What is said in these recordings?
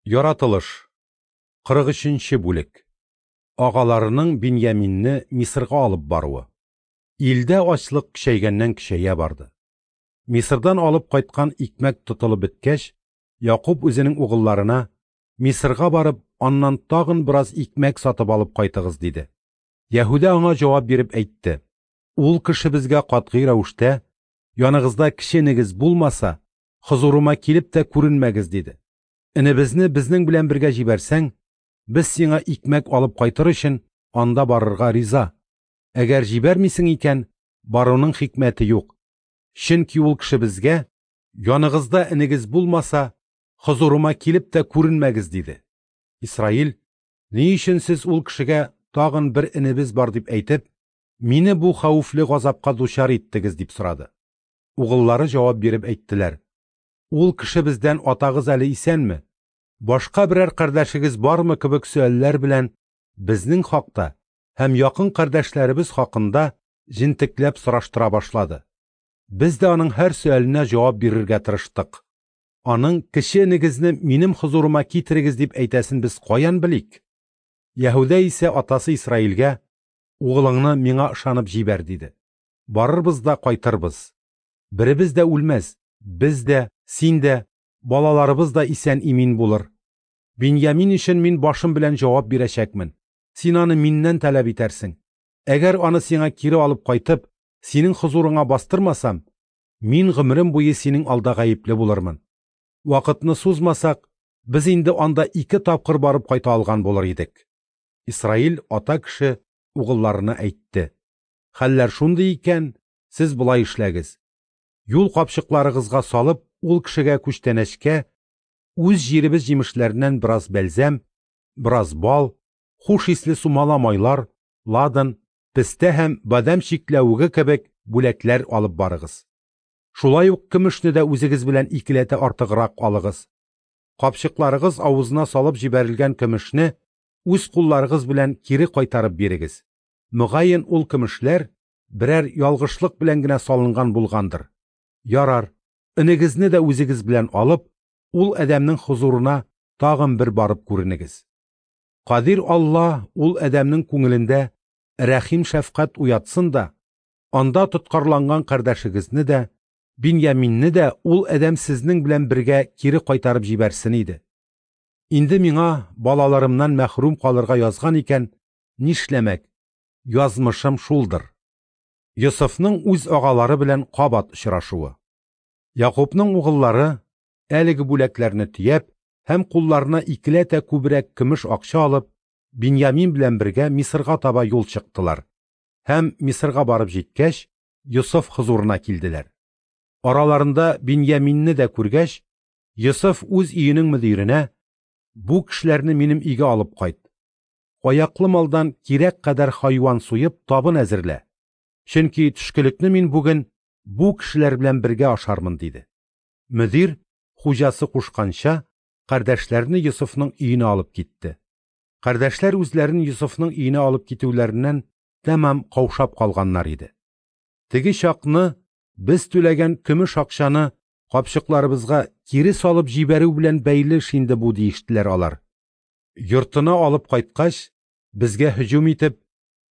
Яратылыш. 43 нче бүлек. Агаларының Биньяминне Мисырга алып баруы. Илдә ачлык көчәйгәннән-көчәя барды. Мисырдан алып кайткан икмәк тотылып беткәч, Якуб үзенең угылларына, Мисырга барып, аннан тагын бераз икмәк сатып алып кайтыгыз, диде. Яһүдә аңа җавап биреп әйтте: Ул кеше безгә катгый рәвештә, Яныгызда кече энегез булмаса, хозурыма килеп тә күренмәгез, диде. Энебезне безнең белән бергә җибәрсәң, без сиңа икмәк алып кайтыр өчен анда барырга риза. Әгәр җибәрмисең икән, баруның хикмәте юк. Чөнки ул кеше безгә, Яныгызда энегез булмаса, хозурыма килеп тә күренмәгез, диде. Исраил, Ни өчен сез ул кешегә тагын бер энебез бар дип әйтеп, мине бу хәвефле газапка дучар иттегез, дип сорады. Угыллары җавап биреп әйттеләр, Ул кеше бездән атагыз әле исәнме, башка берәр кардәшегез бармы кебек сөальләр белән безнең хакта һәм якын кардәшләребез хакында җентекләп сораштыра башлады. Без дә аның һәр сөаленә җавап бирергә тырыштык. Аның кече энегезне минем хозурыма китерегез дип әйтәсен без каян белик? Яһүдә исә атасы Исраилгә, Угылыңны миңа ышанып җибәр, диде. Барырбыз да кайтырбыз. Беребез дә үлмәс, без дә, син дә, балаларыбыз да исән-имин булыр. Биньямин өчен мин башым белән җавап бирәчәкмен. Син аны миннән таләп итәрсең. Әгәр аны сиңа кире алып кайтып, синең хозурыңа бастырмасам, мин гомерем буе синең алда гаепле булырмын. Вакытны сузмасак, без инде анда ике тапкыр барып кайта алган булыр идек. Исраил ата кеше угылларына әйтте: Хәлләр шундый икән, сез болай эшләгез. Юл капчыкларыгызга салып, ул кешегә күчтәнәчкә үз җиребез җимешләреннән бераз бәлзәм, бераз бал, хуш исле сумала майлар, ладан, пестә һәм бадәм чикләвеге кебек бүләкләр алып барыгыз. Шулай ук көмешне дә үзегез белән икеләтә артыграк алыгыз. Капчыкларыгыз авызына салып җибәрелгән көмешне үз кулларыгыз белән кире кайтарып бирегез. Мөгаен, ул көмешләр берәр ялгышлык белән генә салынган булгандыр. Ярар, энегезне дә үзегез белән алып, ул адәмнең хозурына тагын бер барып күренегез. Кадир Алла ул адәмнең күңелендә рәхим-шәфкать уятсын да, анда тоткарланган кардәшегезне дә, Биньяминне дә ул адәм сезнең белән бергә кире кайтарып җибәрсен иде. Инде миңа балаларымнан мәхрүм калырга язган икән, нишләмәк, язмышым шулдыр. Йосыфның үз агалары белән кабат очрашуы. Якубның угыллары, әлеге бүләкләрне төяп һәм кулларына икеләтә күбрәк көмеш акча алып, Биньямин белән бергә Мисырга таба юл чыктылар һәм, Мисырга барып җиткәч, Йосыф хозурына килделәр. Араларында Биньяминне дә күргәч, Йосыф үз өенең мөдиренә, Бу кешеләрне минем өйгә алып кайт. Аяклы малдан кирәк кадәр хайван суеп, табын әзерлә. Чөнки төшкелекне мин бүген бу кешеләр белән бергә ашармын, диде. Мөдир, хуҗасы кушканча, кардәшләрне Йосыфның өенә алып китте. Кардәшләр үзләрен Йосыфның өенә алып китүләреннән тәмам каушап калганнар иде. Теге чакны без түләгән көмеш акчаны капчыкларыбызга кире салып җибәрү белән бәйле эш инде бу, диештеләр алар. Йортына алып кайткач, безгә һөҗүм итеп,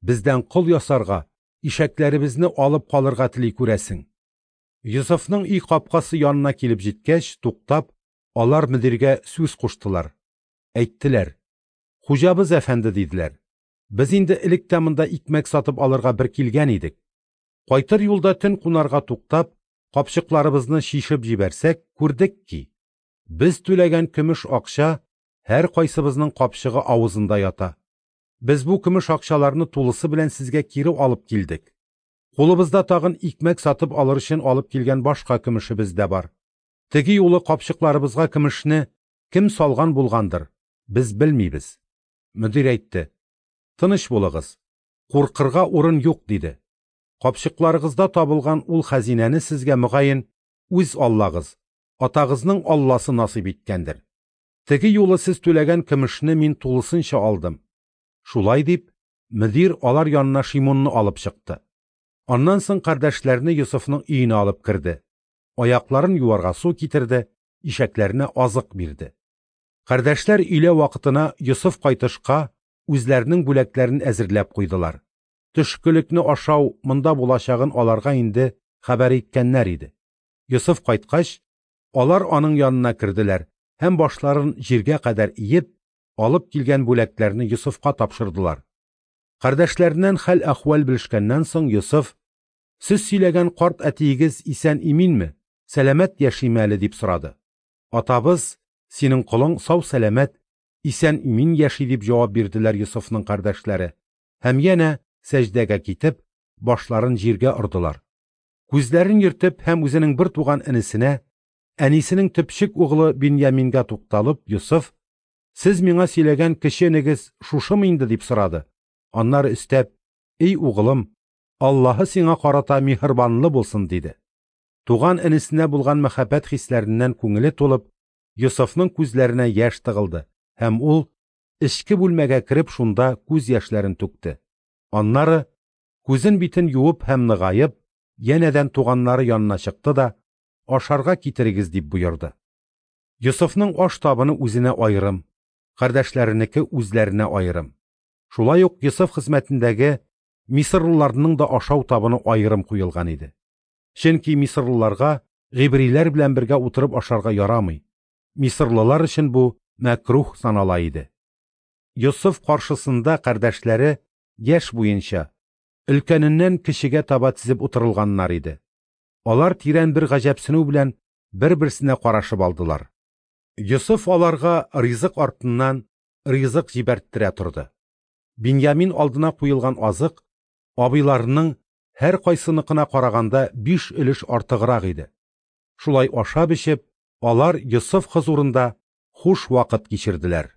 бездән кол ясарга, ишәкләребезне алып калырга тели күрәсең. Йосыфның өй капкасы янына килеп җиткәч, туктап, алар мөдиргә сүз куштылар. Әйттеләр: Хуҗабыз әфәнде, диделәр. Без инде элек тә монда икмәк сатып алырга бер килгән идек. Кайтыр юлда төн кунарга туктап, капчыкларыбызны чишеп җибәрсәк, күрдек ки, без түләгән көмеш акча һәркайсыбызның капчыгы авызында ята. Без бу көмеш акчаларны тулысы белән сезгә кире алып килдек. Кулыбызда тагын икмәк сатып алыр өчен алып килгән башка көмешебез дә бар. Теге юлы капчыкларыбызга көмешне кем салган булгандыр, без белмибез. Мөдир әйтте: Тыныч булыгыз, куркырга урын юк, диде. Капчыкларыгызда табылган ул хәзинәне сезгә мөгаен үз Аллагыз, атагызның Алласы насыйп иткәндер. Теге юлы сез түләгән көмешне мин тулысынча алдым. Шулай дип, мөдир алар янына Шимунны алып чыкты. Аннан соң кардәшләрне Йосыфның өенә алып керде. Аякларын юарга су китерде, ишәкләренә азык бирде. Кардәшләр өйлә вакытына Йосыф кайтышка үзләренең бүләкләрен әзерләп куйдылар. Төшкелекне ашау монда булачагын аларга инде хәбәр иткәннәр иде. Йосыф кайткач, алар аның янына керделәр һәм башларын җиргә кадәр иеп, алып килгән бүләкләрне Йосыфка тапшырдылар. Кардәшләреннән хәл-әхвәл белешкәннән соң Йосыф: «Сез сөйләгән карт әтиегез исән-иминме, сәламәт яшиме әле?» – дип сорады. «Атабыз, синең колың сау-сәламәт, исән-имин яши», – дип җавап бирделәр Йосыфның кардәшләре. Һәм янә сәҗдәгә китеп, башларын җиргә ордылар. Күзләрен йөртеп һәм үзенең бер туган энесенә, әнисенең төпчек углы Биньямингә тукталып, Йосыф: «Сез миңа сөйләгән кече энегез шушымы инде?» – дип сорады. Аннары өстәп: «Эй углым, Аллаһы сиңа карата миһербанлы булсын», – диде. Туган энесенә булган мәхәббәт хисләреннән күңеле тулып, Йосыфның күзләренә яшь тыгылды, һәм ул эчке бүлмәгә кереп шунда күз яшьләрен түкте. Аннары күзен-битен юып һәм ныгаеп, янәдән туганнары янына чыкты да: «Ашарга китерегез», – дип боерды. Йосыфның аш табыны үзенә аерым, кардәшләренеке үзләренә аерым. Шулай ук Йосыф хезмәтендәге мисырлыларның да ашау табыны аерым куелган иде. Чөнки мисырлыларга гыйбриләр белән бергә утырып ашарга ярамый. Мисырлылар өчен бу мәкруһ санала иде. Йосыф каршысында кардәшләре яшь буенча өлкәненнән кечегә таба тезеп утырылганнар иде. Алар тирән бер гаҗәпсенү белән бер-берсенә карашып алдылар. Йосыф аларга ризык артыннан ризык җибәрттерә торды. Биньямин алдына куелган азык абыйларының һәркайсыныкына караганда 5 өлеш артыграк иде. Шулай ашап-эчеп, алар Йосыф хозурында хуш вакыт кичерделәр.